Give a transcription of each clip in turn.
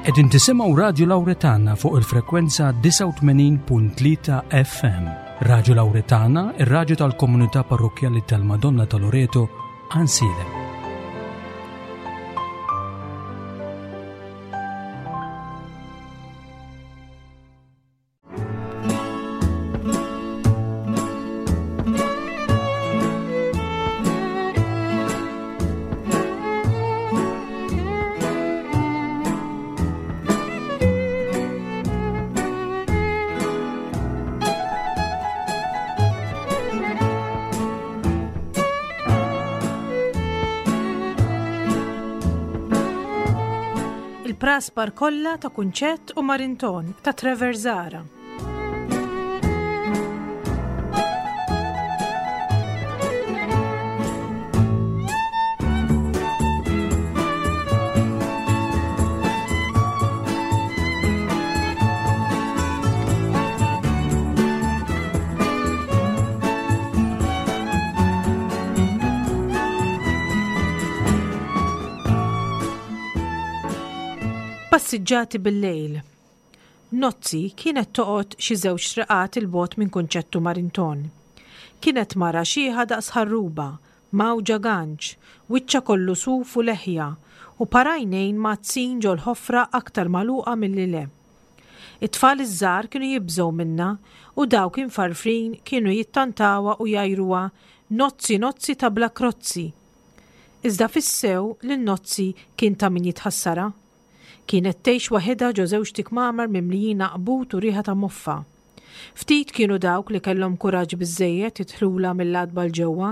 Qegħdin tisimgħu Radju Lawretana fuq il-frekwenza 89.3 FM. Radju Lawretana, ir-radju tal-komunità parrokkjali tal-Madonna ta' Loreto, Ansiedem. Il-praspar kollha ta' Kunċett u Marinton ta' Trevor Zara. Passiġġati bil-lejl. Nozzi kienet toqgħod xi żewġ triqat 'il bogħod minn Kunċettu Marinton. Kienet mara xiħa daqs ħarruba, mgħawġa ganċ, wiċċha kollu suf u leħja, u par għajnejn mgħaddsin ġol-ħofra aktar magħluqa milli le. It-tfal iż-żgħar kienu jibżgħu minnha u dawk imfarfrin kienu jittantawha u jgħajruha Nozzi Nozzi ta' bla krozzi! Iżda fis-sew lil Nozzi kien ta' min jitħassarha. Kienet tgħix waħidha ġo żewġt ikmamar mimlijin għaqbut u riħa ta' moffa. Ftit kienu dawk li kellhom kuraġġ biżżejjed jidħlulha mill-għatba 'l ġewwa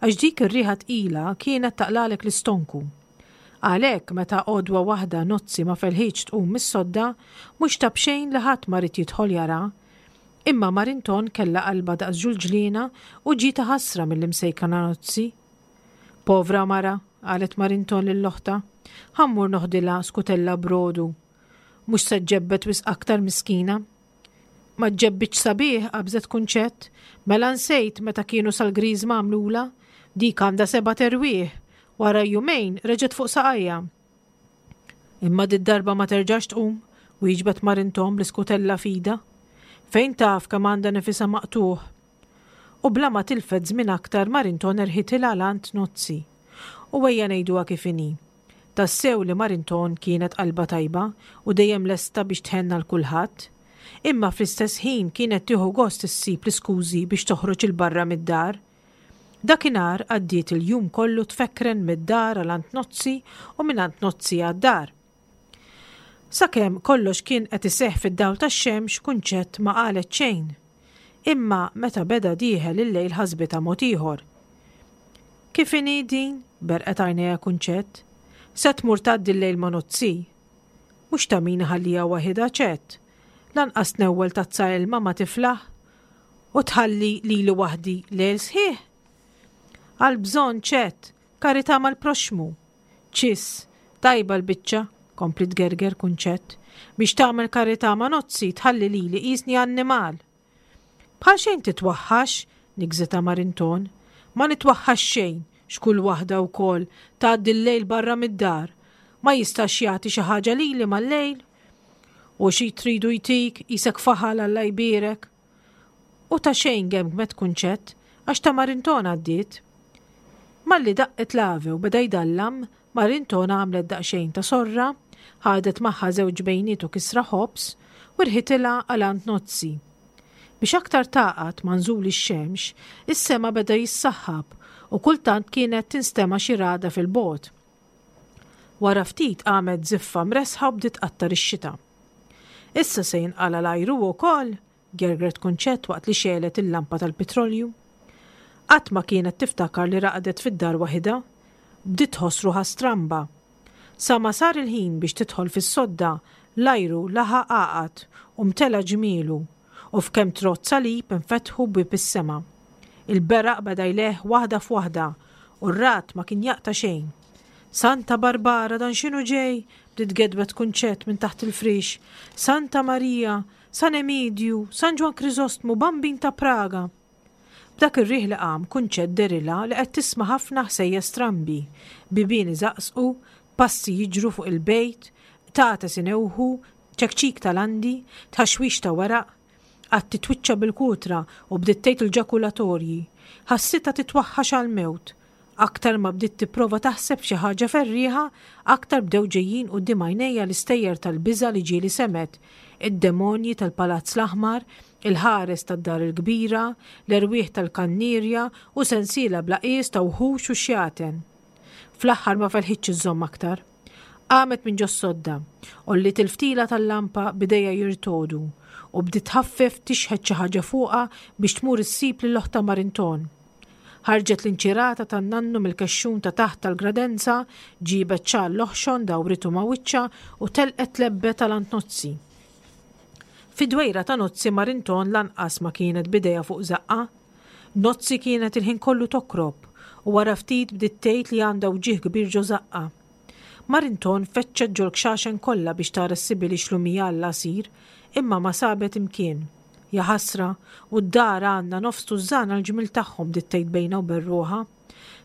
għax dik ir-riħa tqila kienet taqlagħlek l-istonku. Għalhekk meta għodwa waħda Nozzi ma felħitx tqum mis-sodda, mhux ta' b'xejn li ħadd ma ried jidħol jaraha. Imma Marinton kellha qalbha daqs ġulġliena u ġietha ħasra mill-imsejkna Nozzi. Povra mara, qalet Marinton lil oħtha, ħa mmur noħdilha skutella brodu. Mhux se ġġebbed wisq aktar miskina. Ma ġġebbidx sabiħ, qabżet Kunċett. Mela nsejt meta kienu sal-griżma għamlulha? Dik għandha sebat erwieħ. Wara jumejn reġgħet fuq saqajha. Imma did-darba ma terġax tqum, wieġbet Marinton bl-iskutella f'idha. Fejn taf kemm għandha nifisha maqtugħ? U bla ma tilfet żmien aktar Marinton erħitilha 'l għand Nozzi. U ejja ngħiduha kif inhi. Tassew li Marinton kienet qalbha tajba u dejjem lesta biex tħenn għal kulħadd. Imma fl-istess ħin kienet tieħu gost issib l-iskużi biex toħroġ 'il barra mid-dar. Dakinhar għaddiet il-jum kollu tfekkren mid-dar għal għand Nozzi u minn għand Nozzi għad-dar. Sakemm kollox kien qed iseħħ fid-dawl tax-xemx Kunċett ma qalet xejn. Imma meta beda dieħel il-lejl ħasbitha mod ieħor. Kif inhi din? berqet għajnejha Kunċett. Se tmur tgħaddi l-lejl ma' Nozzi? Mhux ta' min iħalliha waħidha Ċett. Lanqas tnewwel tazza ilma ma tiflaħ. U tħalli lili waħdi lejl sħiħ? Għall-bżonn Ċett, karità mal-proxxmu. Ċiss, tajba l-biċċa, kompliet tgerger Kunċett. Biex tagħmel karità ma' Nozzi tħalli lili qisni annimal. Bħal xejn titwaħħax, nigżitha Marinton. Ma nitwaħħax xejn, x'kull waħda wkoll tgħaddi l-lejl barra mid-dar. Ma jistax jagħti xi ħaġa lili mal-lejl? U xi tridu jtik, qisek faħal Alla jbierek. U ta' xejn gemgmet Kunċett, għax ta' Marinton għaddiet. Malli daqqet l-ave u beda jdallam, Marinton għamlet daqsxejn ta' sorra, ħadet magħha żewġ bejniet u kisra ħobż, u rħitilha għal għand Nozzi. Biex aktar tagħqad ma' nżul ix-xemx, is-sema beda jissaħħab u kultant kienet tinstema' xi ragħda fil-bogħod. Wara ftit qamet żiffa mressħa u bdiet tqattar ix-xita. Issa se jinqala' l-ajru wkoll? gergret Kunċett waqt li xegħlet il-lampa tal-pitrolju. Qatt ma kienet tiftakar li raqdet fid-dar waħidha. Bdiet tħoss ruħha stramba. Sa ma sar il-ħin biex tidħol fis-sodda, l-ajru laħaq għaqad u mtela ġmielu, u f'kemm trodd salib infetħu bwieb is-sema. Il-beraq beda jleħħ waħda f'waħda u r-ragħad ma kien jaqta' xejn. Santa Barbara, dan x'inhu ġej? bdiet tgedwed Kunċett minn taħt il-friex. Santa Marija, San Emidju, San Ġwann Kriżostmu, Bambin ta' Praga! B'dak ir-riħ li qam, Kunċett dehrilha li qed tisma' ħafna ħsejjes strambi, bibien iżaqżqu, passi jiġru fuq il-bejt, Qtates inewħu, ċekċik ta' landi, tħaxwix ta' weraq. Qagħad titwiċċa bil-kutra u bdiet tgħid il-ġakulatorji. Ħassitha titwaħħax għall-mewt. Aktar ma bdiet tipprova taħseb f'xi ħaġa ferrieħa, aktar bdew ġejjin quddiem għajnejha l-istejjer tal-biża' li ġieli semgħet, id-demonji tal-Palazz l-Aħmar, il-ħares tad-Dar il-Kbira, l-erwieħ tal-kannierja u sensiela bla qies ta' wħux u xjaten. Fl-aħħar ma felħitx iżżomm aktar. Qamet minn ġos-sodda, għolliet il-ftila tal-lampa b'idejha jirtogħdu u bdiet tħaffef tixħet xi ħaġa fuqha biex tmur issib lil oħtha Marinton. Ħarġet l-inċirata tan-nannu mill-kexxun ta' taħt tal-gradenza, ġiebet xall oħxon dawritu ma' wiċċha u telqet tlebbet għal għand Nozzi. Fid-dwejra ta' Nozzi Marinton lanqas ma kienet b'idejha fuq żaqqha. Nozzi kienet il-ħin kollu tokrob u wara ftit bdiet tgħid li għandha wġigħ kbir ġo żaqqha. Marinton fettxet ġol-kxaxen kollha biex tara ssibilix lumija għall-għasir, imma ma sabet imkien. Jaħasra, u d-dar għandna nofs tużżana l-ġmiel tagħhom bdiet tgħid bejnha u bejn ruħha.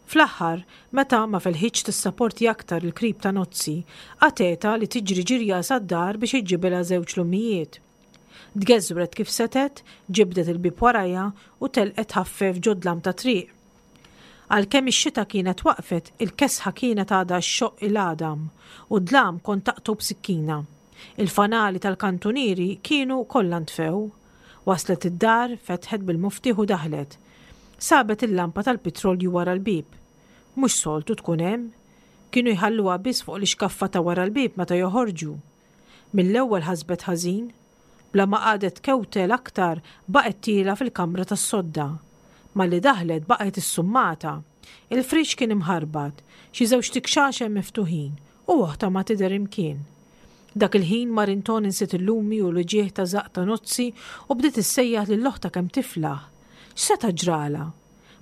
Fl-aħħar, meta ma felħitx tissaporti aktar il-krib ta' Nozzi, qatgħetha li tiġri ġirja sad-dar biex iġġibilha żewġ lumijiet. Tgeżwret kif setgħet, ġibdet il-bieb warajha u telqet tħaffef ġod-dlam tat-triq. Għalkemm ix-xita kienet waqfet, il-kesħa kienet għadha xxoqq il-għadam, u d-dlam kont taqtgħu b'sikkina. Il-fanali tal-kantunieri kienu kollha ntfew. Waslet id-dar, fetħet bil-muftieħ u daħlet. Sabet il-lampa tal-pitrolju wara l-bieb. Mhux soltu tkun hemm. Kienu jħalluha biss fuq l-ixkaffa ta' wara l-bieb meta joħorġu. Mill-ewwel ħasbet ħażin. Bla ma qagħdet tkewtel aktar baqgħet tielgħa fil-kamra tas-sodda. Malli daħlet baqgħet issummata. Il-friex kien imħarbat, xi żewġt ikxaxen miftuħin u oħtha ma tidher imkien. Dak il-ħin Marinton insiet il-lumi u l-uġigħ ta' żaqq ta' Nozzi u bdiet issejjaħ lil oħtha kemm tiflaħ. X'seta' ġralha?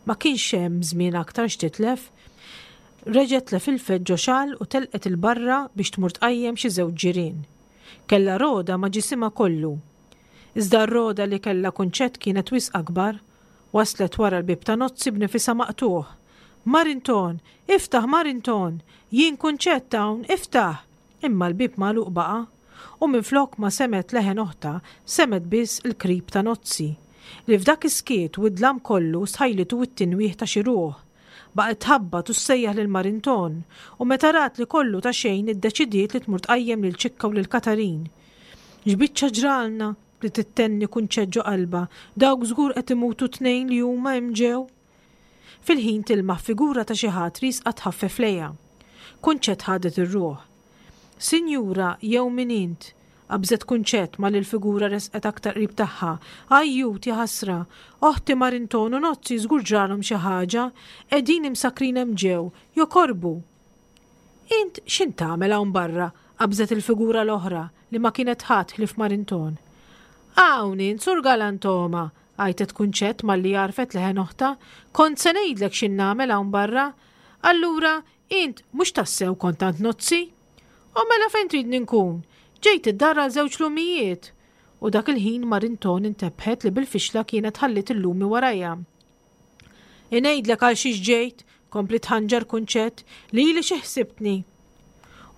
Ma kienx hemm żmien aktar x'titlef. Reġgħet tlefilfet ġo xall u telqet 'il barra biex tmur tqajjem xi żewġ ġirien. Kellha rogħda ma' ġisimha kollu. Iżda r-rogħda li kellha Kunċett kienet wisq akbar. Waslet wara l-bieb ta' Nozzi b'nifisha maqtugħ. Marinton! Iftaħ Marinton! Jien Kunċett hawn, iftaħ! Imma l-bieb magħluq baqa'. U minflok ma semgħet leħen oħtha, semgħet biss il-krib ta' Nozzi. Li f'dak is-skiet u d-dlam kollu stħajlitu t-tinwieħ ta' xi ruħ. Baqgħet tħabbat u ssejjaħ lil Marinton, u meta rat li kollu ta' xejn iddeċidiet li tmur tqajjem lil Ċikka u lil Katarin. X'biċċa ġralna! bdiet ittenni Kunċett ġo qalbha, dawk żgur qed imutu t-tnejn li huma hemm ġew! Fil-ħin tilmaħ figura ta' xi ħadd riesqa tħaffef lejha. Kunċett ħadet ir-ruħ. Sinjura, jew min int? Qabżet Kunċett malli l-figura resqet aktar qrib tagħha. Ajjut, jaħasra! Oħti Marinton u Nozzi żgur ġralhom xi ħaġa. Qegħdin imsakkrin hemm ġew, jokorbu! Int x'int tagħmel hawn barra? qabżet il-figura l-oħra, li ma kienet ħadd ħlief Marinton. Hawn int, Sur Galantoma! għajtet Kunċett malli għarfet leħen oħtha. Kont se ngħidlek x'int nagħmel hawn barra. Allura, Int mhux tassew kont għand Nozzi? U mela fejn tridni nkun? Ġejt id-dar għal żewġ lumijiet! U dak il-ħin Marinton intebħet li bil-fixla kienet ħalliet il-lumi warajha. Ingħidlek għal xiex ġejt, kompliet tħanġar Kunċett, lili xi ħsibtni?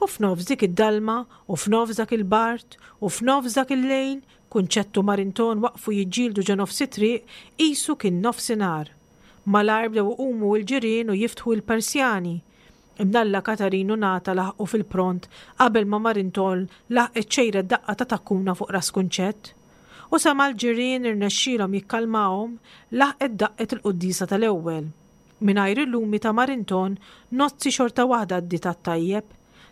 U f'nofs dik id-dalma, u f'nofs dak il-bard, u f'nofs dak il-lejl, Kunċett u Marinton waqfu jiġġieldu ġo nofs it-triq qisu kien nofsinhar. Malajr bdew iqumu l-ġirien u jiftħu l-persjani. Imnalla Katarin u Nata laħqu fil-pront qabel ma Marintoll laħqet xejret daqqa ta' takkuna fuq ras Kunċett. U sa ma l-ġirien irnexxielhom jikkalmahom, laħqet daqqet il-quddiesa tal-ewwel. Mingħajr il-lumi ta' Marinton, Nozzi xorta waħda għaddiet għat-tajjeb.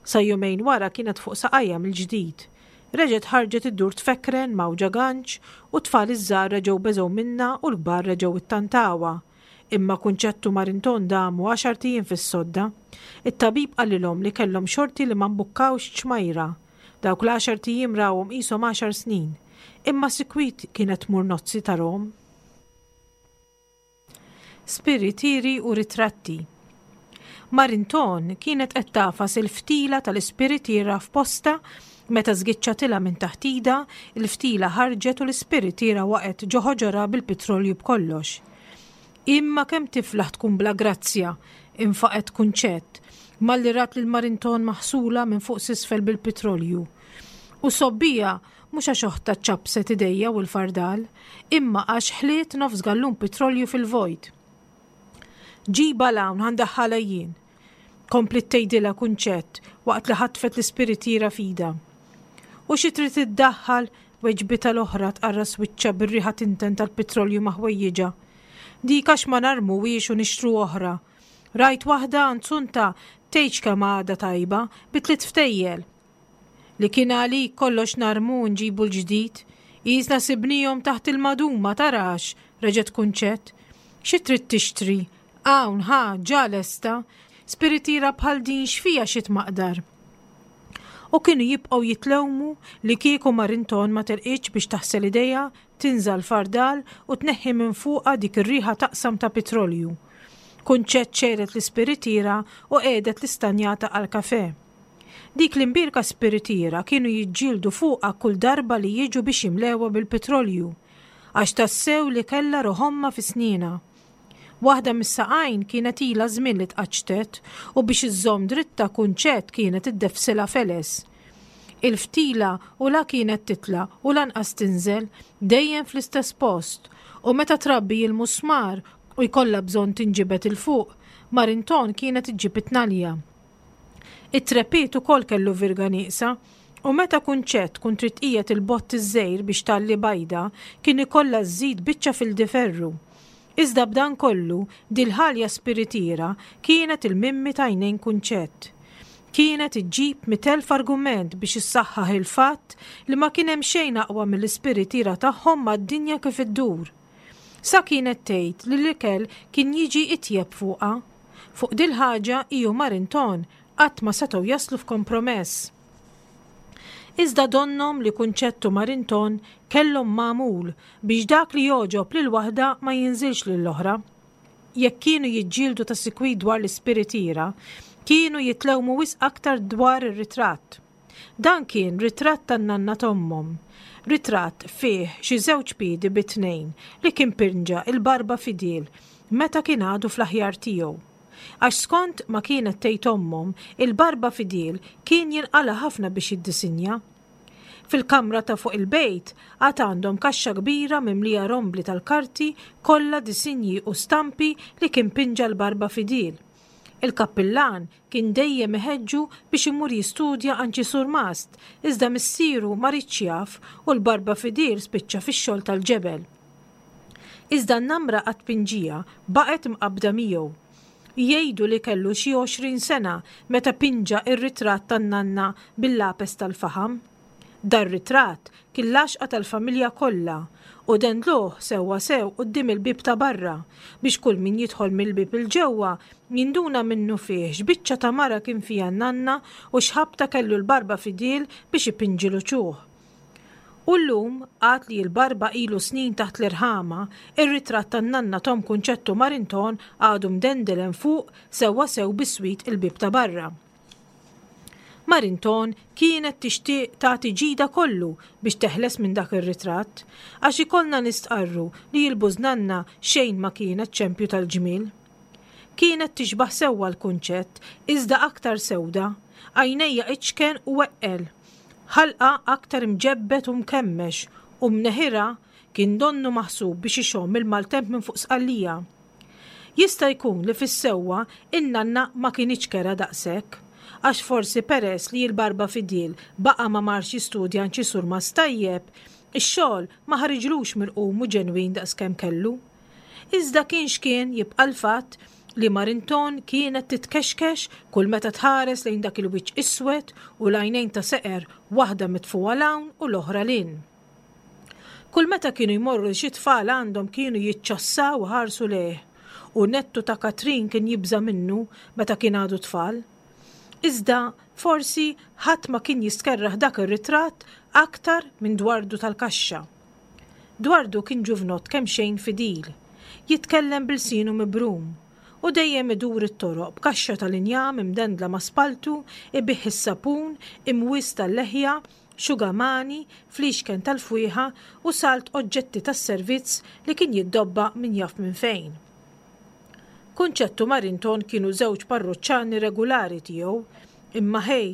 Sa jumejn wara kienet fuq saqajha mill-ġdid. Reġgħet ħarġet iddur tfekkren mgħawġa ganċ u t-tfal iż-żgħar reġgħu beżgħu minnha u l-kbar reġgħu ittantawha. Imma Kunċett u Marinton damu għaxart ijiem fis-sodda. It-tabib qalilhom li kellhom xorti li ma mbukkawx ċmajra. Dawk l-għaxart ijiem rawhom qishom għaxar snin. Imma sikwit kienet tmur Nozzi tarahom. Spiritieri u ritratti. Marinton kienet qed tagħfas il-ftila tal-ispiritiera f'postha meta żgiċċatilha minn taħt idha, il-ftila ħarġet u l-ispiritiera waqgħet ġo ħoġorha bil-pitrolju b'kollox. Imma kemm tiflaħ tkun bla grazzja! infaqgħet Kunċett. malli rat lil Marinton maħsula minn fuq s'isfel bil-pitrolju. U sobbija mhux għax oħtha ċappset idejja u l-fardal, imma għax ħliet nofs gallun pitrolju fil-vojt. Ġibha 'l hawn ħa ndaħħalha jien, kompliet tgħidilha Kunċett waqt li ħatfet l-ispiritiera f'idha. U xi trid iddaħħal? weġbitha l-oħra tqarras wiċċha bir-riħa tinten tal-pitrolju ma' ħwejjiġha. Dik għax ma narmuhiex u nixtru oħra. Rajt waħda għand Sunta tgħidx kemm għadha tajba, bi tliet ftejjel. Li kien għalik kollox narmu u nġibu l-ġdid. Qisna sibnihom taħt il-maduma, tarax, reġgħet Kunċett. Xi trid tixtri? Hawn, ħa, ġa lesta. Spiritiera bħal din x'fiha xi tmaqdar? U kienu jibqgħu jitlewmu li kieku Marinton ma telqitx biex taħsel idejha, tinża' l-fardal u tneħħi minn fuqha dik ir-riħa taqsam ta' pitrolju. Kunċett xegħlet l-ispiritiera u qiegħdet l-istanjata għall-kafè. Dik l-imbierka spiritiera kienu jiġġieldu fuqha kull darba li jiġu biex jimlewha bil-pitrolju, għax tassew li kellha ruħ ommha fi snienha. Waħda mis-saqajn kienet ilha żmien li tqaċċtet u biex iżżomm dritta Kunċett kienet iddeffsilha feles. Il-ftila u la kienet titla' u lanqas tinżel, dejjem fl-istess post, u meta trabbi il-musmar u jkollha bżonn tinġibed 'il fuq, Marinton kienet iġġib it-tnalja. It-trepied ukoll kellu virga nieqsa u meta Kunċett tkun trid tqiegħed il-bott iż-żgħir biex tgħalli bajda kien ikollha żżid biċċa fil-diferru. Iżda b'dan kollu, dil-ħalja spiritiera kienet il-mimmi t'għajnejn Kunċett. Kienet iġġib 100,000 argument biex issaħħaħ il-fatt li ma kien hemm xejn aqwa mill-ispiritiera tagħhom mad-dinja kif iddur. Sa kienet tgħid li l-ikel kien jiġi itjeb fuqha. Fuq dil-ħaġa hi u Marinton qatt ma setgħu jaslu f'kompromess. Iżda donnhom li Kunċett u Marinton kellhom magħmul biex dak li jogħġob lil waħda ma jinżilx lill-oħra. Jekk kienu jiġġieldu ta' sikwit dwar l-ispiritiera, kienu jitlewmu wisq aktar dwar ir-ritratt. Dan kien ritratt tan-nanna t'ommhom. Ritratt fih xi żewġ piedi bi tnejn li kien pinġa il-barba fidil meta kien għadu fl-aħjar tiegħu. Għax skont ma kienet tgħid ommhom, il-barba fidil kien jinqala' ħafna biex jiddisinja. Fil-kamra ta' fuq il-bejt għad għandhom kaxxa kbira mimlija rombli tal-karti kollha disinji u stampi li kien pinġa l-barba fidil. Il-kappillan Kien dejjem iħeġġu biex imur jistudja għand xi surmast, iżda missieru ma riedx jaf u l-barba fidil spiċċa fix-xogħol tal-ġebel. Iżda n-namra għat-tpinġija baqgħet mqabbda miegħu. Jgħidu li kellu xi 20 sena meta pinġa r-ritratt tan-nanna bil-lapes tal-faħam. Dar-ritratt kien l-għaxqa tal-familja kollha u dendluh sewwa sew quddiem il-bieb ta' barra biex kull min jidħol mill-bieb 'il ġewwa jinduna minnufih x'biċċa ta' mara kien fiha n-nanna u x'ħabta kellu l-barba fidil biex ipinġi l-uċuħ. U llum, għad li l-barba ilu snin taħt l-irħama, ir-ritratt tan-nanna t'omm Kunċettu Marinton għadu mdendel hemm fuq sewwa sew biswit il-bieb ta' barra. Marinton kienet tixtieq tagħti ġidha kollu biex teħles minn dak ir-ritratt, għax ikollna nistqarru li l-bużnanna xejn ma kienet ċempju tal-ġmiel. Kienet tixbah sewwa l-Kunċett, iżda aktar sewda, għajnejha iċken u eqqel, ħalqha aktar imġebbed u mkemmex u mneħirha kien donnu maħsub biex ixomm il-maltemp minn fuq Sqallija. Jista' jkun li fis-sewwa in-nanna ma kinitx kerha daqshekk, għax forsi peress li l-barba fidil baqa' ma marx jistudja għand xi surmast tajjeb, ix-xogħol ma ħariġlux mirqum u ġenwin daqskemm kellu. Iżda kien x'kien jibqa' l-fatt li Marinton kienet titkexkex kull meta tħares lejn dak il-wiċċ iswed u l-għajnejn ta' seqer waħda mitfugħa 'l hawn u l-oħra 'l hinn. Kull meta kienu jmorru xi tfal għandhom kienu jiċċassaw iħarsu lejh u nettu ta' Katrin kien jibża' minnu meta kien għadu tfal. Iżda forsi ħadd ma kien jistkerrah dak ir-ritratt aktar minn Dwardu tal-Kaxxa. Dwardu kien ġuvnott kemxejn fidil, jitkellem b'ilsienu mibrum u dejjem idur it-toroq b'kaxxa tal-injam imdendla ma' spalltu, ibigħ is-sapun, imwies tal-leħja, xugamani, fliexken tal-fwieħa u salt oġġetti tas-servizz li kien jiddobba min jaf minn fejn. Kunċett u Marinton kienu żewġ parruċċani regulari tiegħu, imma ħej,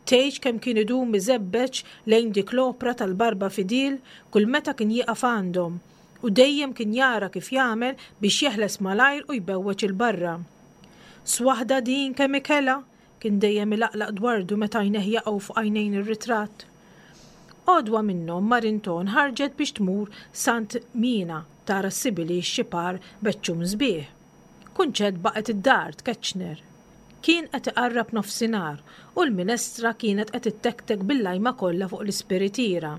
tgħidx kemm kien idum iżebbeġ lejn dik l-opra tal-Barba Fidil kull meta kien jieqaf għandhom, u dejjem kien jara kif jagħmel biex jeħles malajr u jbewweġ 'il barra. Swaħda din kemm ikelha! kien dejjem ilaqlaq dwardu meta għajnejh jaqgħu fuq għajnejn ir-ritratt. Għodwa minnhom Marinton ħarġet biex tmur Sant Mina tara ssibilix xi par beċċun sbieħ. Kunċett baqgħet id-dar tkeċċner. Kien qed iqarrab nofsinhar u l-minestra kienet qed ittektek bil-lajma kollha fuq l-ispiritiera.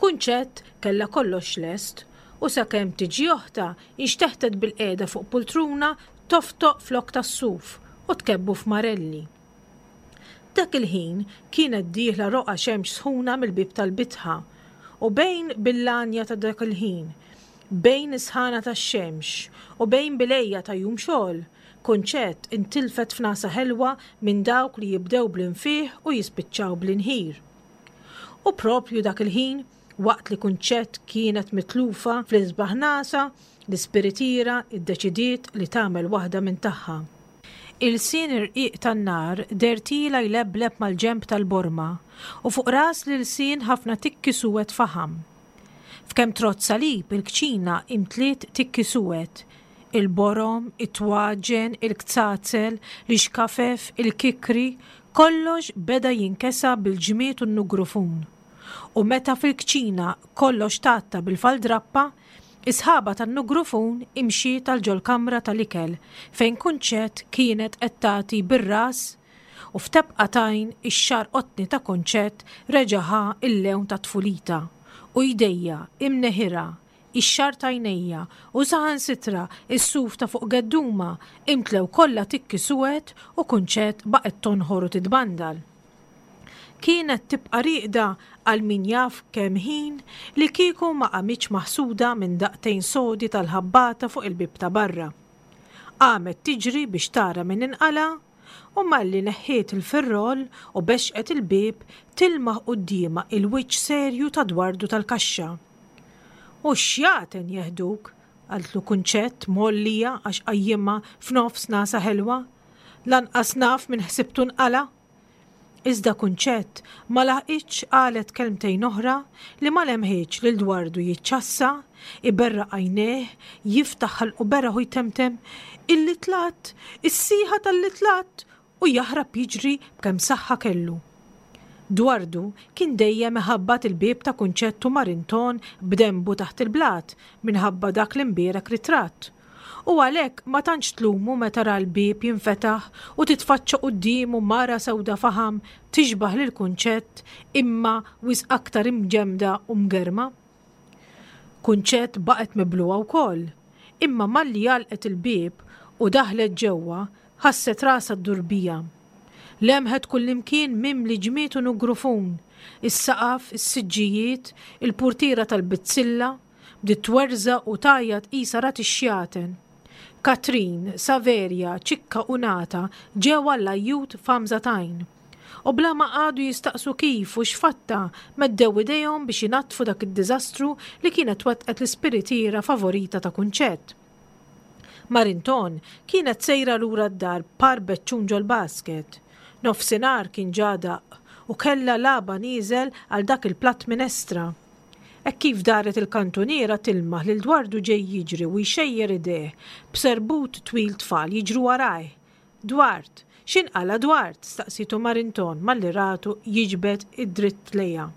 Kunċett kellha kollox lest u sakemm tiġi oħtha inxteħtet bilqiegħda fuq pultruna toftoq flokk tas-suf u tkebbu f'marelli. Dak il-ħin kienet dieħla roqgħa xemx sħuna mill-bieb tal-bitħa u bejn bil-lanja ta' dak il-ħin, bejn is-sħana tax-xemx u bejn bil-għejja ta' jum xogħol, Kunċett intilfet f'nagħsa ħelwa minn dawk li jibdew bl-infiħ u jispiċċaw bl-inħir. U proprju dak il-ħin, waqt li Kunċett kienet mitlufa fl-isbaħ nagħsa, L-ispiritiera ddeċidiet li tagħmel waħda minn tagħha. Ilsien irqiq tan-nar deher tiela' jlebleb mal-ġenb tal-borma u fuq ras l-ilsien ħafna tikki suwed faħam. F'kemm trodd salib il-kċina imtliet tikki suwed, il-borom, it-twaġen, il-kzazel, l-ixkafef, il-kikri, kollox beda jinkesa bil-ġmied u n-nugrufun. U meta fil-kċina kollox tgħatta bil-faldrappa, Is-sħaba tan-nugrufun imxiet għal ġol-kamra tal-ikel fejn Kunċett kienet qed tagħti bir-ras u f'tebqa t'għajn ix-xagħar qotni ta' Kunċett reġa' ħa l-lewn ta' tfulitha u jdejja, imneħirha, ix-xagħar t'għajnejja u saħansitra s-suf ta' fuq geddumha imtlew kollha tikki suwed u Kunċett baqgħet tonħor u titbandal. Kienet tibqa' rieqda għal min jaf kemm ħin li kieku ma qamitx maħsuda minn daqtejn sodi tal-ħabbata fuq il-bieb ta' barra. Qamet tiġri biex tara min inqala' u malli neħħiet il-firroll u bexqet il-bieb tilmaħ quddiemha il-wiċċ serju ta' Dwardu tal-kaxxa. U x-xjaten jeħduk! qaltlu Kunċett mgħollija għax qajjimha f'nofs nagħsa ħelwa. Lanqas naf min ħsibtu nqala'! Iżda Kunċett ma laħqitx qalet kelmtejn oħra li ma lemħitx lil Dwardu jiċċassa, iberraq għajnejh, jiftaħ ħalqu beraħ u jtemtem, Il-litlatt! Is-sieħa tal-litlatt! u jaħrab jiġri b'kemm saħħa kellu. Dwardu kien dejjem iħabbat il-bieb ta' Kunċett u Marinton b'denbu taħt il-blat minħabba dak l-imbierek ritratt. U għalhekk ma tantx tlumu meta ra l-bieb jinfetaħ u titfaċċa quddiemu mara sewda faħam tixbah lil Kunċett imma wisq aktar imġemmda u mgerrma. Kunċett baqgħet miblugħa wkoll, imma malli għalqet il-bieb u daħlet ġewwa ħasset rasha ddur biha. Lemħet kullimkien mimli ġmied u nugrufun, is-saqaf, is-siġġijiet, il-purtiera tal-bizzilla, Bdiet twerżaq u tgħajjat qisha rat ix-xjaten. Katrin, Saverja, Ċikka u Nata ġew għall-ajjut f'għamża t'għajn. U bla ma qagħdu jistaqsu kif u x'fatta, meddew idejhom biex inaddfu dak id-diżastru li kienet wettqet l-ispiritiera favorita ta' Kunċett. Marinton kienet sejra lura d-dar b'par beċċun ġol-basket. Nofsinhar kien ġa daqq u kellha lagħba nieżel għal dak il-platt minestra. Hekk kif daret il-kantuniera tilmaħ lil Dwardu ġej jiġri u jxejjer idejh b'serbut twil tfal jiġru warajh. Dward! X'inqala' Dward? staqsietu Marinton malli ratu jiġbed id-dritt lejha.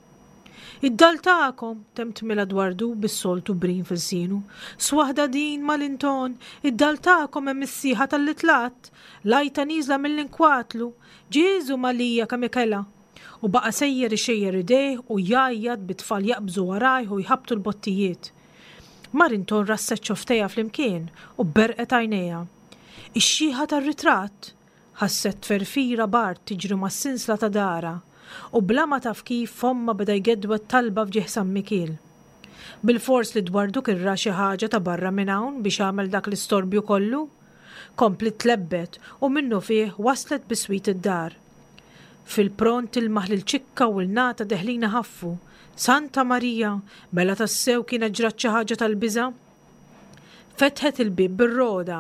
Id-dall tagħkom! temtmilha Dwardu bis-soltu brim f'ilsienu. Swaħda din, Malinton! Id-dall tagħkom hemm is-sieħa talli tlaqt! L-għajta nieżla mill-inkwatlu! Ġieżu Malija kemm ikelha! U baqa' sejjer ixejjer idejh u jgħajjat bit-tfal jaqbżu warajh u jħabbtu l-bottijiet. Marinton rasset xofftejha flimkien u berqet għajnejha. Ix-xiħa tar-ritratt! Ħasset tferfira b'art tiġri mas-sinsla ta' darha u bla ma taf kif fommha beda jgedwed talba f'ġieħ San Mikiel. Bilfors li dwardu kien ra xi ħaġa ta' barra minn hawn biex għamel dak l-istorbju kollu! Kompliet tlebbet u minnufih waslet biswit id-dar. Fil-pront tilmaħ lil Ċikka u 'l Nata deħlin iħaffu. Santa Marija! Mela tassew kienet ġrat xi ħaġa tal-biża'? Fetħet il-bieb bir-rogħda.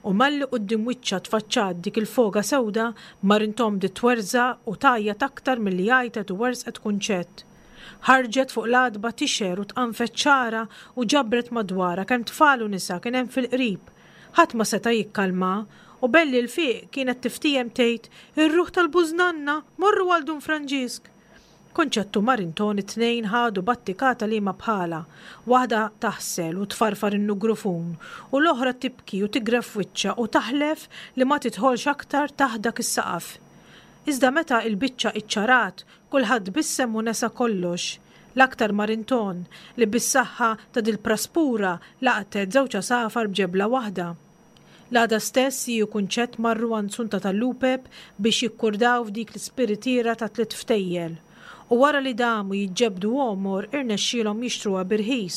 U malli quddiem wiċċha tfaċċat dik il-foga sewda, Marinton bdiet twerżaq u tgħajjat aktar milli għajtet u werżqet Kunċett. Ħarġet fuq l-għatba tixgħer u tqanfet xagħarha u ġabret madwarha kemm tfal u nisa kien hemm fil-qrib. Ħadd ma seta' jikkalmaha u belli l-fiq kienet tiftiehem tgħid, Ir-ruħ tal-bużnanna! Morru għal Dun Franġisk! Kunċett u Marinton it-tnejn ħadu battikata liema bħalha, waħda taħsel u tfarfar in-nugrufun u l-oħra tibki u tigref wiċċha u taħlef li ma tidħolx aktar taħt dak is-saqaf. Iżda meta il-biċċa iċċarat, kulħadd tbissem u nesa kollox, l-aktar Marinton li bis-saħħa ta' dil-praspura laqtet żewġ għasafar b'ġebla waħda. L-għada stess hi u Kunċett marru għand Sunta tal-Lupep biex jikkurdaw f'dik l-ispiritiera ta' tliet ftejjel. U wara li damu jiġġebbdu għomor irnexxielhom jixtruha b'irħis.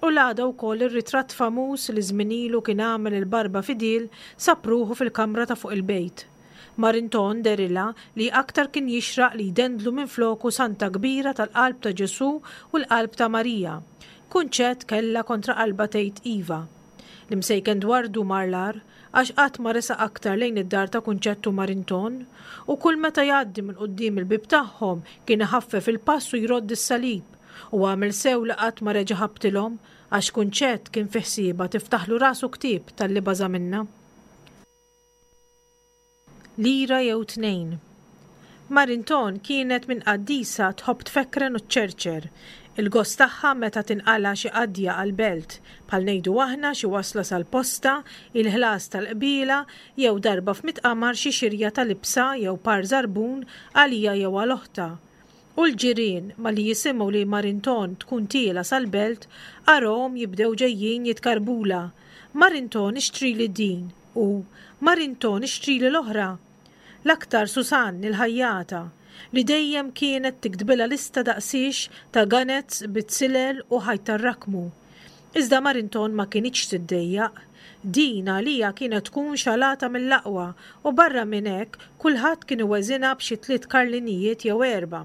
U l-għada wkoll ir-ritratt famuż li żmien ilu kien għamel il-Barba Fidil sab ruħu fil-kamra ta' fuq il-bejt. Marinton dehrilha li aktar kien jixraq li jdendlu minfloku santa kbira tal-Qalb ta' Ġesù u l-Qalb ta' Marija. Kunċett kellha kontra qalbha tgħid iva. L-imsejken Dwardu mar l-agħar, għax qatt ma resaq aktar lejn id-dar ta' Kunċett u Marinton, u kull meta jgħaddi minn quddiem il-bieb tagħhom kien iħaffef il-pass u jrodd is-salib, u għamel sew li qatt ma reġa' ħabtilhom, għax Kunċett kien fi ħsiebha tiftaħlu rasu ktieb talli baża' minnha. Lira jew tnejn. Marinton kienet minn qaddisa tħobb tfekkren u ċċerċer. Il-gost tagħha meta tinqala' xi qadja għall-belt, bħal ngħidu aħna xi wasla sal-posta, il-ħlas tal-qbiela jew darba f'mitt qamar xi xirja ta' libsa jew par żarbun għalija jew għal oħtha. U l-ġirien, malli jisimgħu li Marinton tkun tiela' sal-belt, arahom jibdew ġejjin jitkarbulha, Marinton ixtrili din! U, Marinton ixtrili l-oħra! L-aktar Susanne, il-ħajjata, li dejjem kienet tiktbilha lista daqsiex ta' ganets bit-silel u ħajt tar-rakmu. Iżda Marinton ma kinitx tiddejjaq. Din għaliha kienet tkun xalata mill-aqwa u barra minn hekk kulħadd kien iweżinha b'xi tliet karlinijiet jew erbgħa.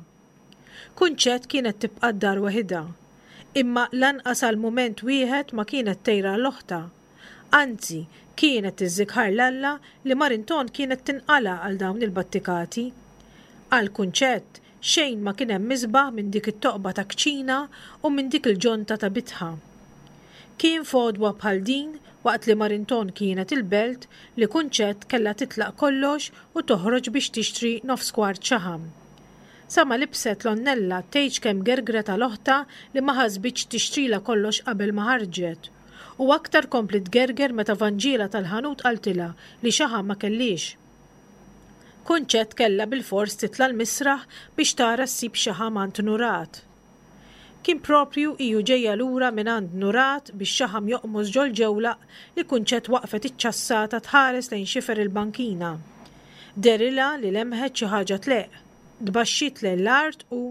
Kunċett kienet tibqa' d-dar weħidha. Imma lanqas għal mument wieħed ma kienet tgħir għal oħtha. Anzi, kienet tiżżikħar 'l Alla li Marinton kienet tinqala' għal dawn il-battikati. Għal Kunċett, xejn ma kien hemm isbaħ minn dik it-toqba ta' kċina u minn dik il-ġonta ta' bitħa. Kien f'għodwa bħal din, waqt li Marinton kienet il-belt, li Kunċett kellha titlaq kollox u toħroġ biex tixtri nofs kwart xaħam. Sa ma libset l-għonnella tgħidx kemm gergret għal oħtha li ma ħasbitx tixtrilha kollox qabel ma ħarġet. U aktar kompliet tgerger meta Vanġiela tal-ħanut qaltilha li xaħam ma kellhiex. Kunċett kellha bilfors titla' l-misraħ biex tara ssib xaħam għand Nurat. Kien proprju hi u ġejja lura mingħand Nurat bix-xaħam joqmos ġol-ġewlaq li Kunċett waqfet iċċassata tħares lejn xifer il-bankina. Dehrilha li lemħet xi ħaġa tleqq. Tbaxxiet lejn l-art u,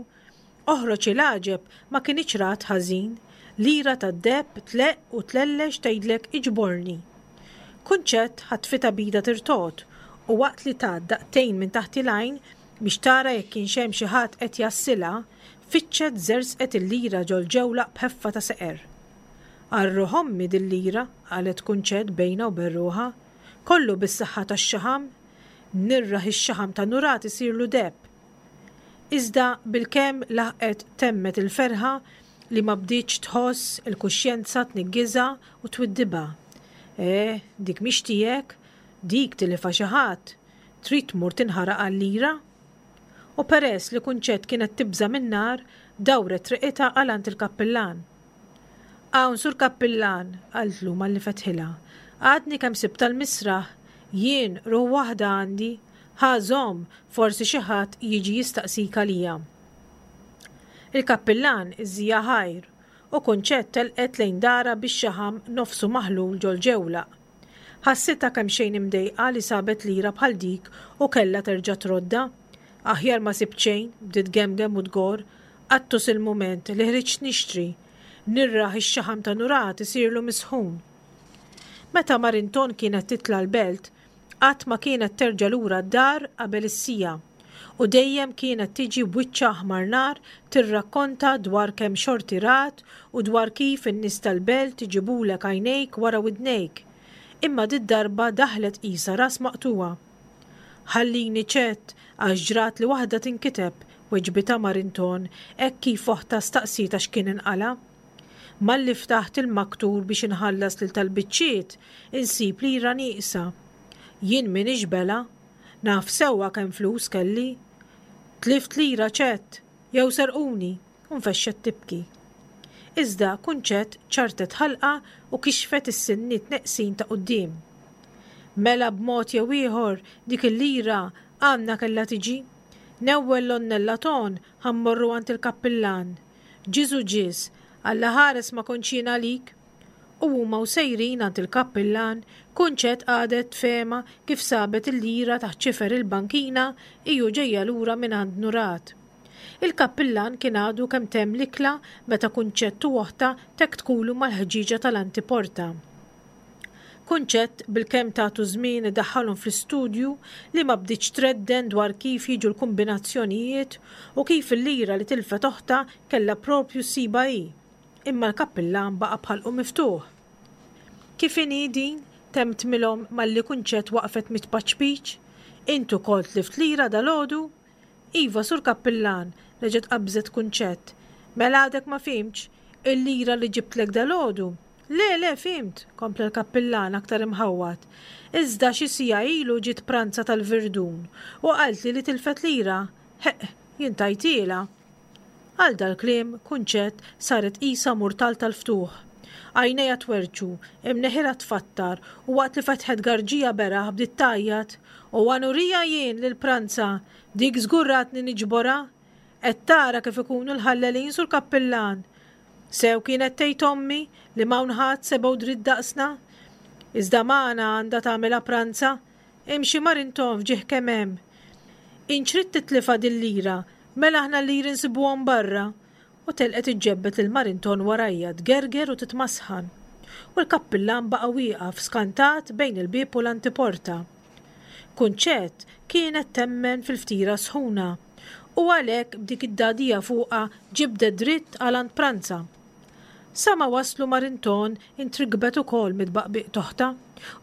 Oħroġ il-għaġeb ma kinitx rat ħażin, lira tad-deheb tleqq u tlellex tgħidlek iġborni. Kunċett ħatfitha b'idha tirtogħod u waqt li tat daqtejn minn taħt il-għajn biex tara jekk kienx hemm xi ħadd qed jgħassilha, fittxet żerżqet il-lira ġol-ġewlaq b'ħeffa ta' seqer. Għal ruħ ommi dil-lira, qalet Kunċett bejnha u bejn ruħha. Kollu bis-saħħa tax-xaħam. Nirraħ ix-xaħam ta' Nurat isirlu deheb. Iżda bilkemm laħqet temmet il-ferħa li ma bdietx tħoss il-kuxjenza tniggiżha u twiddibha. Eh, dik mhix tiegħek, dik tilifha xi ħadd, trid tmur tinħaraq għal lira? U peress li Kunċett kienet tibża' min-nar, dawret triqitha għal għand il-kappillan. Hawn, Sur Kappillan, qaltlu malli fetħilha, għadni kemm sibtha l-misraħ, jien ruħ waħda għandi, Ħa żomm, forsi xi ħadd jiġi jistaqsik għalija. Il-kappillan iżżija ħajr, u Kunċett telqet lejn darha bix-xaħam nofsu maħlul ġol-ġewlaq. Ħassitha kemxejn imdejqa li sabet lira bħal dik u kellha terġa' troddha. Aħjar ma sibt xejn, bdiet tgemgem u tgorr, qattus il-mument li ħriġt nixtri. Nirraħ ix-xaħam ta' Nurat isirlu misħun. Meta Marinton kienet titla' l-belt, Qatt ma kienet terġa' lura d-dar qabel is-siegħa u dejjem kienet tiġi b'wiċċha aħmar nar tirrakkonta dwar kemm xorti rat u dwar kif in-nies tal-belt iġibulek għajnejk wara widnejk. Imma did-darba daħlet qisha ras maqtugħa. Ħallini ċett għax ġratli waħda tinkiteb, weġbitha Marinton hekk kif oħtha staqsietha x'kien inqala'. Malli ftaħt il-maktur biex inħallas lil tal-biċċiet, insib lira nieqsa. Jien m'iniex belha. Naf sewwa kemm flus kelli. Tlift lira ċett, jew serquni, u nfexxet tibki. Iżda Kunċett ċarrtet ħalqha u kixfet is-sinniet neqsin ta' quddiem. Mela b'mod jew ieħor dik il-lira għandna kellha tiġi. Newwel l-onnella ton ħa mmorru għand il-kappillan. Ġiżu ġiż, Alla ħares ma kontx jien għalik. U huma u sejrin għand il-kappillan, Kunċett qagħdet tfehma kif sabet il-lira taħt xifer il-bankina hi u ġejja lura minn għand Nurat. Il-kappillan kien għadu kemm temm l-ikla meta Kunċett u oħtha tektkulu mal-ħġieġa tal-antiporta. Kunċett bilkemm tagħtu żmien idaħħalhom fl-istudju li ma bdietx tredden dwar kif jiġu l-kumbinazzjonijiet u kif il-lira li tilfet oħtha kellha proprju ssibha hi. Imma l-kappillan baqa' b'ħalqu miftuħ. Kif inhi din? temmtmilhom malli Kunċett waqfet mit-tpaċpiċ. Int ukoll tlift lira dalgħodu? Iva, Sur Kappillan, reġgħet qabżet Kunċett. Mela għadek ma fhimtx? Il-lira li ġibtlek dalgħodu? Le, le, fhimt, kompla l-kappillan aktar imħawwad. Iżda xi siegħa ilu ġiet pranza tal-Virdun u qaltli li tilfet lira. Ħeqq, jien tajtielha. Għal dal-kliem, Kunċett saret qisha murtal tal-ftuħ. Għajnejha twerrċu, imneħirha tfattar u waqt li fetħet garġija beraħ bdiet tgħajjat, U għanurija jien lil pranza, dik żgur ratni niġborha! Qed tara kif ikunu l-ħallelin sur kappillan! Sew kienet tgħid ommi li m'hawn ħadd sebgħu dritt daqsna. Iżda magħna għandha tagħmilha pranza. Imxi mar intom f'ġieħ kemm hemm. Int x'ridt titlifha dil-lira, mela aħna l-liri nsibuhom barra. U telqet iġġebbed lil Marinton warajha tgerger u titmasħan. U l-kappillan baqa' wieqaf skantat bejn il-bieb u l-antiporta. Kunċett kienet temmen fil-ftira sħuna u għalhekk b'dik id-dagħdigħa fuqha ġibdet dritt għal għand Pranza. Sa ma waslu Marinton intrikbet ukoll mit-tbaqbiq t'oħtha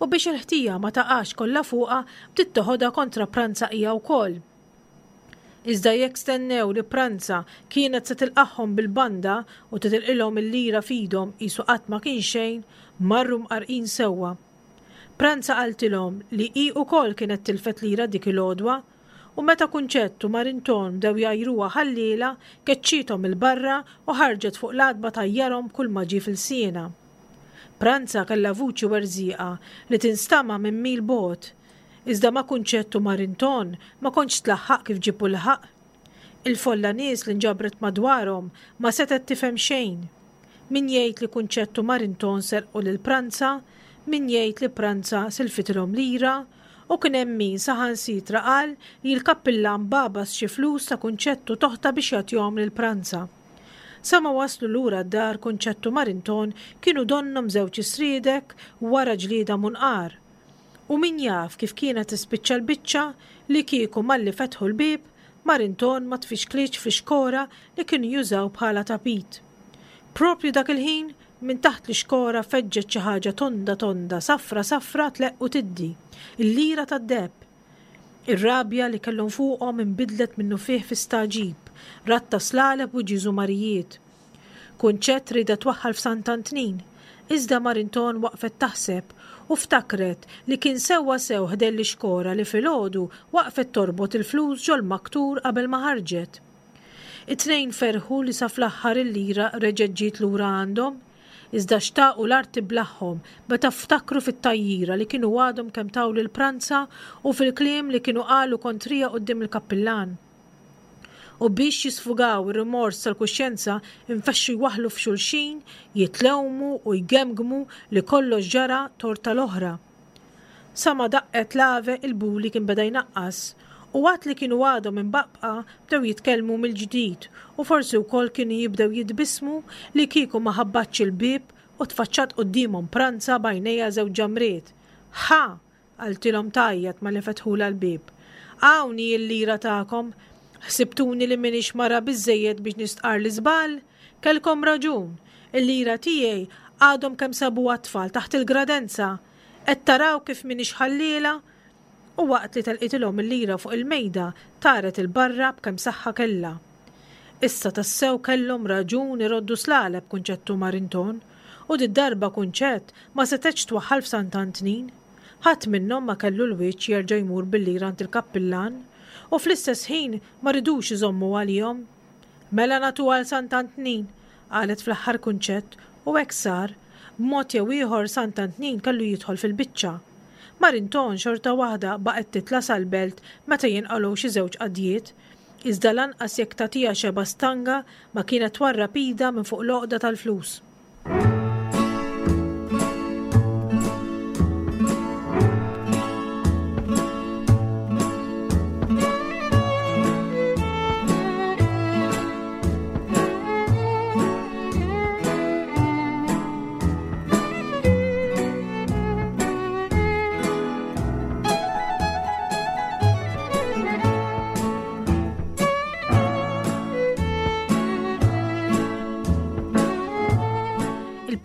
u biex il-ħtija ma taqax kollha fuqha bdiet teħodha kontra Pranza hija wkoll. Iżda jekk stennew li Pranza kienet se tilqagħhom bil-banda u titilqilhom il-lira f'idhom qisu qatt ma kien xejn, marru mqarrqin sewwa. Pranza qaltilhom li hi wkoll kienet tilfet lira dik il-għodwa u meta Kunċett u Marinton bdew jgħajruha ħalliela, keċċiethom 'il barra u ħarġet fuq l-għatba tgħajjarhom b'kulma ġie f'ilsienha. Pranza kellha vuċi werżieqa li tinstama' minn mil bogħod. Iżda ma' Kunċett u Marinton ma kontx tlaħħaq kif ġieb u lħaq. Il-folla nies li nġabret madwarhom ma setgħet tifhem xejn. Min jgħid li Kunċett u Marinton serqu lil Pranza, min jgħid li Pranza silfitilhom lira, u kien hemm min saħansitra qal li l-kappillan bagħbas xi flus ta' Kunċett u t'oħtha biex jagħtihom lil Pranza. Sa ma waslu lura d-dar Kunċett u Marinton kienu donnhom żewġ isriedek wara ġlieda munqar. U min jaf kif kienet tispiċċa l-biċċa li kieku malli fetħu l-bieb, Marinton ma tfixklitx fl-ixkora li kienu jużaw bħala tapit. Proprju dak il-ħin, minn taħt l-ixkora feġġet xi ħaġa tonda tonda, safra safra tleqq u tiddi, il-lira tad-deheb. Ir-rabja li kellhom fuqhom inbidlet minnufih fi stagħġib, radd ta' slaleb u ġiżumarijiet. Kunċett riedha twaħħal f'Sant'Antnin, iżda Marinton waqfet taħseb u ftakret li kien sewwa sew ħdejn l-ixkora li filgħodu waqfet torbot il-flus ġol-maktur qabel ma ħarġet. It-tnejn ferħu li sa fl-aħħar il-lira reġgħet ġiet lura għandhom, iżda xtaqu l-art tiblaħħom meta ftakru fit-tgħajjira li kienu għadhom kemm taw lil Pranza u fil-kliem li kienu qalu kontrija quddiem il-kappillan. U biex jisfugaw ir-rimors tal-kuxjenza infexxu jwaħħlu f'xulxin, jitlewmu u jgemgmu li kollox ġara tort tal-oħra. Sa ma daqqet l-ave il-buli kien beda jnaqqas u għad li kienu għadhom imbaqbqa bdew jitkellmu mill-ġdid u forsi wkoll kienu jibdew jitbissmu li kieku ma ħabbatx il-bieb u tfaċċat quddiemhom Pranza b'għajnejha żewġ ġamriet. Ħa! Qaltilhom tgħajjat malli fetħulha l-bieb. Hawn hi l-lira tagħkom! Ħsibtuni li m'iniex mara biżżejjed biex nistqarr l-iżball? Kellkom raġun! Il-lira tiegħi għadhom kemm sabuha t-tfal taħt il-gradenza! Qed taraw kif m'iniex ħalliela? U waqt li telqitilhom il-lira fuq il-mejda, taret 'il barra b'kemm saħħa kellha. Issa tassew kellhom raġun iroddu slaleb Kunċett u Marinton, u did-darba Kunċett ma setgħetx twaħħal f'Sant'Antnin. Ħadd minnhom ma kellu l-wiċċ jerġa' jmur bil-lira għand il-kappillan, u fl-istess ħin ma ridux iżommu għalihom. Mela nagħtuha għal Sant'Antnin, qalet fl-aħħar Kunċett, u hekk sar. B'mod jew ieħor Sant'Antnin kellu jidħol fil-biċċa. Marinton xorta waħda baqgħet titla' sal-belt meta jinqalgħu xi żewġ qadjiet, iżda lanqas jekk tagħtiha xebgħa stanga ma kienet twarrab idha minn fuq l-għoqda tal-flus.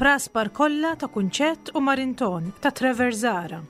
Il-praspar kollha ta' Kunċett u Marinton ta' Trevor Zara.